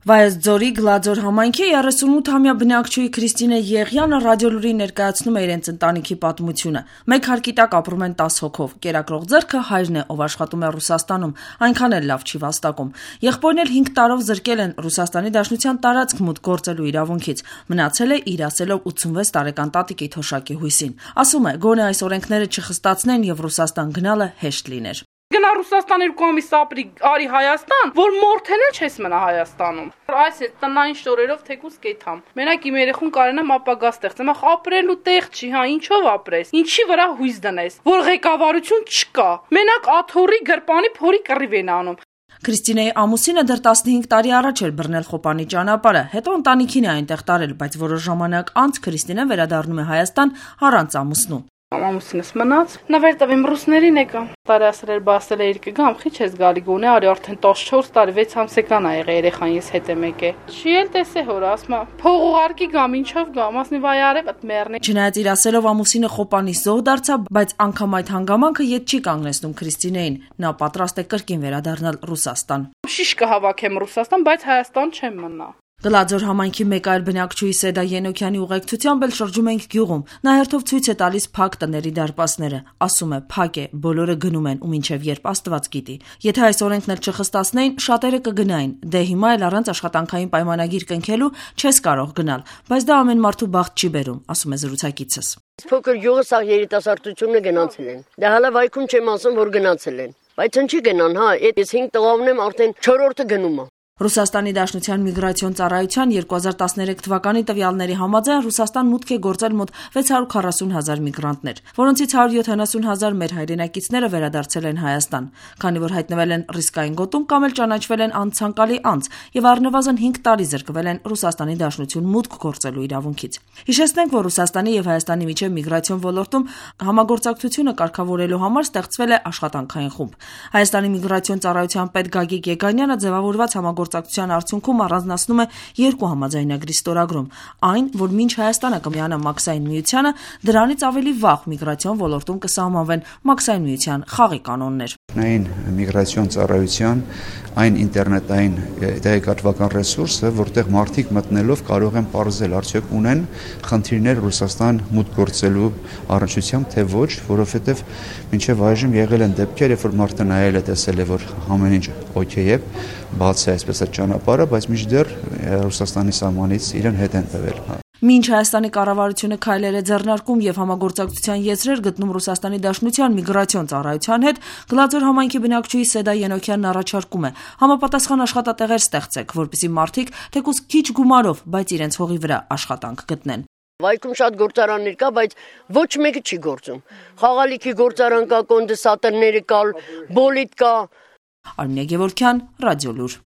Վայոց-Ձորի Գլաձոր համայնքի 38-ամյա բնակչուհի Քրիստինե Եղյանը ռադիոլուրին ներկայացնում է իրենց ընտանիքի պատմությունը։ Մեկ հարկի տակ ապրում են 10 հոգով։ Կերակրող ձեռքը հայրն է, ով աշխատում է Ռուսաստանում, այնքան էլ լավ չի վաստակում։ Եղբորն էլ 5 տարով զրկել են Ռուսաստանի Դաշնության տարածք մուտք գործելու իրավունքից։ Մնացել է իր ասելով 86 տարեկան տատիկի թոշակի հույսին։ Ասում է, գոնե այս օրենքները չխստացնեն եւ Ռուսաստան գնալը հեշտ լիներ։ Գնա Ռուսաստան 2 ամիս ապրի, արի Հայաստան, որ մորթեն էլ չես մնա Հայաստանում։ Այս է տնային շորերով թեկուս կեթամ։ Մենակ իմ երեխուն կարենամ ապագա ստեղծեմ, ապրելու տեղ չի, հա, ինչով ապրես։ Ինչի վրա հույս դնես, որ ղեկավարություն չկա։ Մենակ աթոռի գրպանի փորի կռիվ են անում։ Քրիստինեի ամուսինը դեռ 15 տարի առաջ էր բռնել Խոպանի ճանապարհը, հետո ընտանիքին է այնտեղ տարել, բայց որոշ ժամանակ անց Քրիստինեն վերադառնում է Հայաստան առանց ամուսնու։ Ամուսինս մնաց, նվեր տվեմ ռուսներին եկա։ Տարի ասել էր բասել է իր կգամ, խի չես գալի գոնե, արի արդեն 14 տարի 6 ամսեկան ա եղել երեխան ես հետ եմ եկել։ Չի էլ տեսե հոր, ասма, փող ուղարկի գամ, ինչով գամ, ասնի վայ արև այդ մեռնի։ Չնայած իր ասելով ամուսինը Խոպանի զոհ դարձավ, բայց անգամ այդ հանգամանքը ետ չի կանգնեցնում Քրիստինեին։ Նա պատրաստ է կրկին վերադառնալ Ռուսաստան։ Շիշ կհավաքեմ Ռուսաստան, բայց Հայաստան չեմ մնա։ Գլաձոր համայնքի մեկ այլ բնակչուհի Սեդա Ենոքյանի ուղեկցությամբ էլ շրջում ենք գյուղում։ Նա հերթով ցույց է տալիս փակ տների դարպասները։ Ասում է, փակ է, բոլորը գնում են ու մինչև երբ Աստված գիտի։ Եթե այս օրենքն էլ չխստացնեին, շատերը կգնային։ Դե հիմա էլ առանց աշխատանքային պայմանագիր կնքելու չես կարող գնալ, բայց դա ամեն մարդու բախտ չի բերում, ասում է զրուցակիցս։ Փոքր յուղը սա երիտասարդությունը գնացել են։ Դա հələ վայքում չեմ ասում, որ գնացել են։ Բայց ինչի գնան, հա, ես 5 տղաներն եմ արդեն 4-րդը գնում է։ Ռուսաստանի Դաշնության միգրացիոն ծառայության 2013 թվականի տվյալների համաձայն Ռուսաստան մուտք է գործել մոտ 640,000 միգրանտներ, որոնցից 170,000 մեր հայրենակիցները վերադարձել են Հայաստան, քանի որ հայտնվել են ռիսկային գոտում կամ էլ ճանաչվել են անցանկալի անձ եւ առնվազն 5 տարի զրկվել են Ռուսաստանի Դաշնություն մուտք գործելու իրավունքից։ Հիշեցնենք, որ Ռուսաստանի եւ Հայաստանի միջև միգրացիոն ոլորտում համագործակցությունը կարգավորելու համար ստեղծվել է աշխատանքային խումբ։ Հայաստանի միգրացիոն ծառայության պետ Գագիկ Եգանյանը ձևավորված համագործակցության արդյունքում առանձնացնում է 2 համաձայնագրի ստորագրում, այն, որ մինչ Հայաստանը կմիանա Մաքսային միությանը, դրանից ավելի վաղ միգրացիոն ոլորտում կսահմանվեն Մաքսային միության խաղի կանոններ։ Այն միգրացիոն ծառայության այն ինտերնետային տեղեկատվական ռեսուրսը, որտեղ մարդիկ մտնելով կարող են պարզել արդյոք ունեն խնդիրներ Ռուսաստան մուտք գործելու առնչությամբ, թե ոչ, որովհետև մինչև այժմ եղել են դեպքեր, երբ որ մարդը նայել է, տեսել է, որ ամեն ինչ օքեյ է, բաց է այսպես այդ ճանապարհը, բայց մինչդեռ Ռուսաստանի սահմանից իրեն հետ են տվել։ Մինչ Հայաստանի կառավարությունը քայլեր է ձեռնարկում եւ համագործակցության եզրեր գտնում Ռուսաստանի Դաշնության միգրացիոն ծառայության հետ, Գլաձոր համայնքի բնակչուհի Սեդա Ենոքյանն առաջարկում է համապատասխան աշխատատեղեր ստեղծեք, որպեսզի մարդիկ թեկուզ քիչ գումարով, բայց իրենց հողի վրա աշխատանք գտնեն։ Վայքում շատ գործարաններ կա, բայց ոչ մեկը չի գործում։ Խաղալիքի գործարան կա, կոնդենսատորները կա, բոլիտ կա։ Արմինե Գևորգյան, Ռադիոլուր։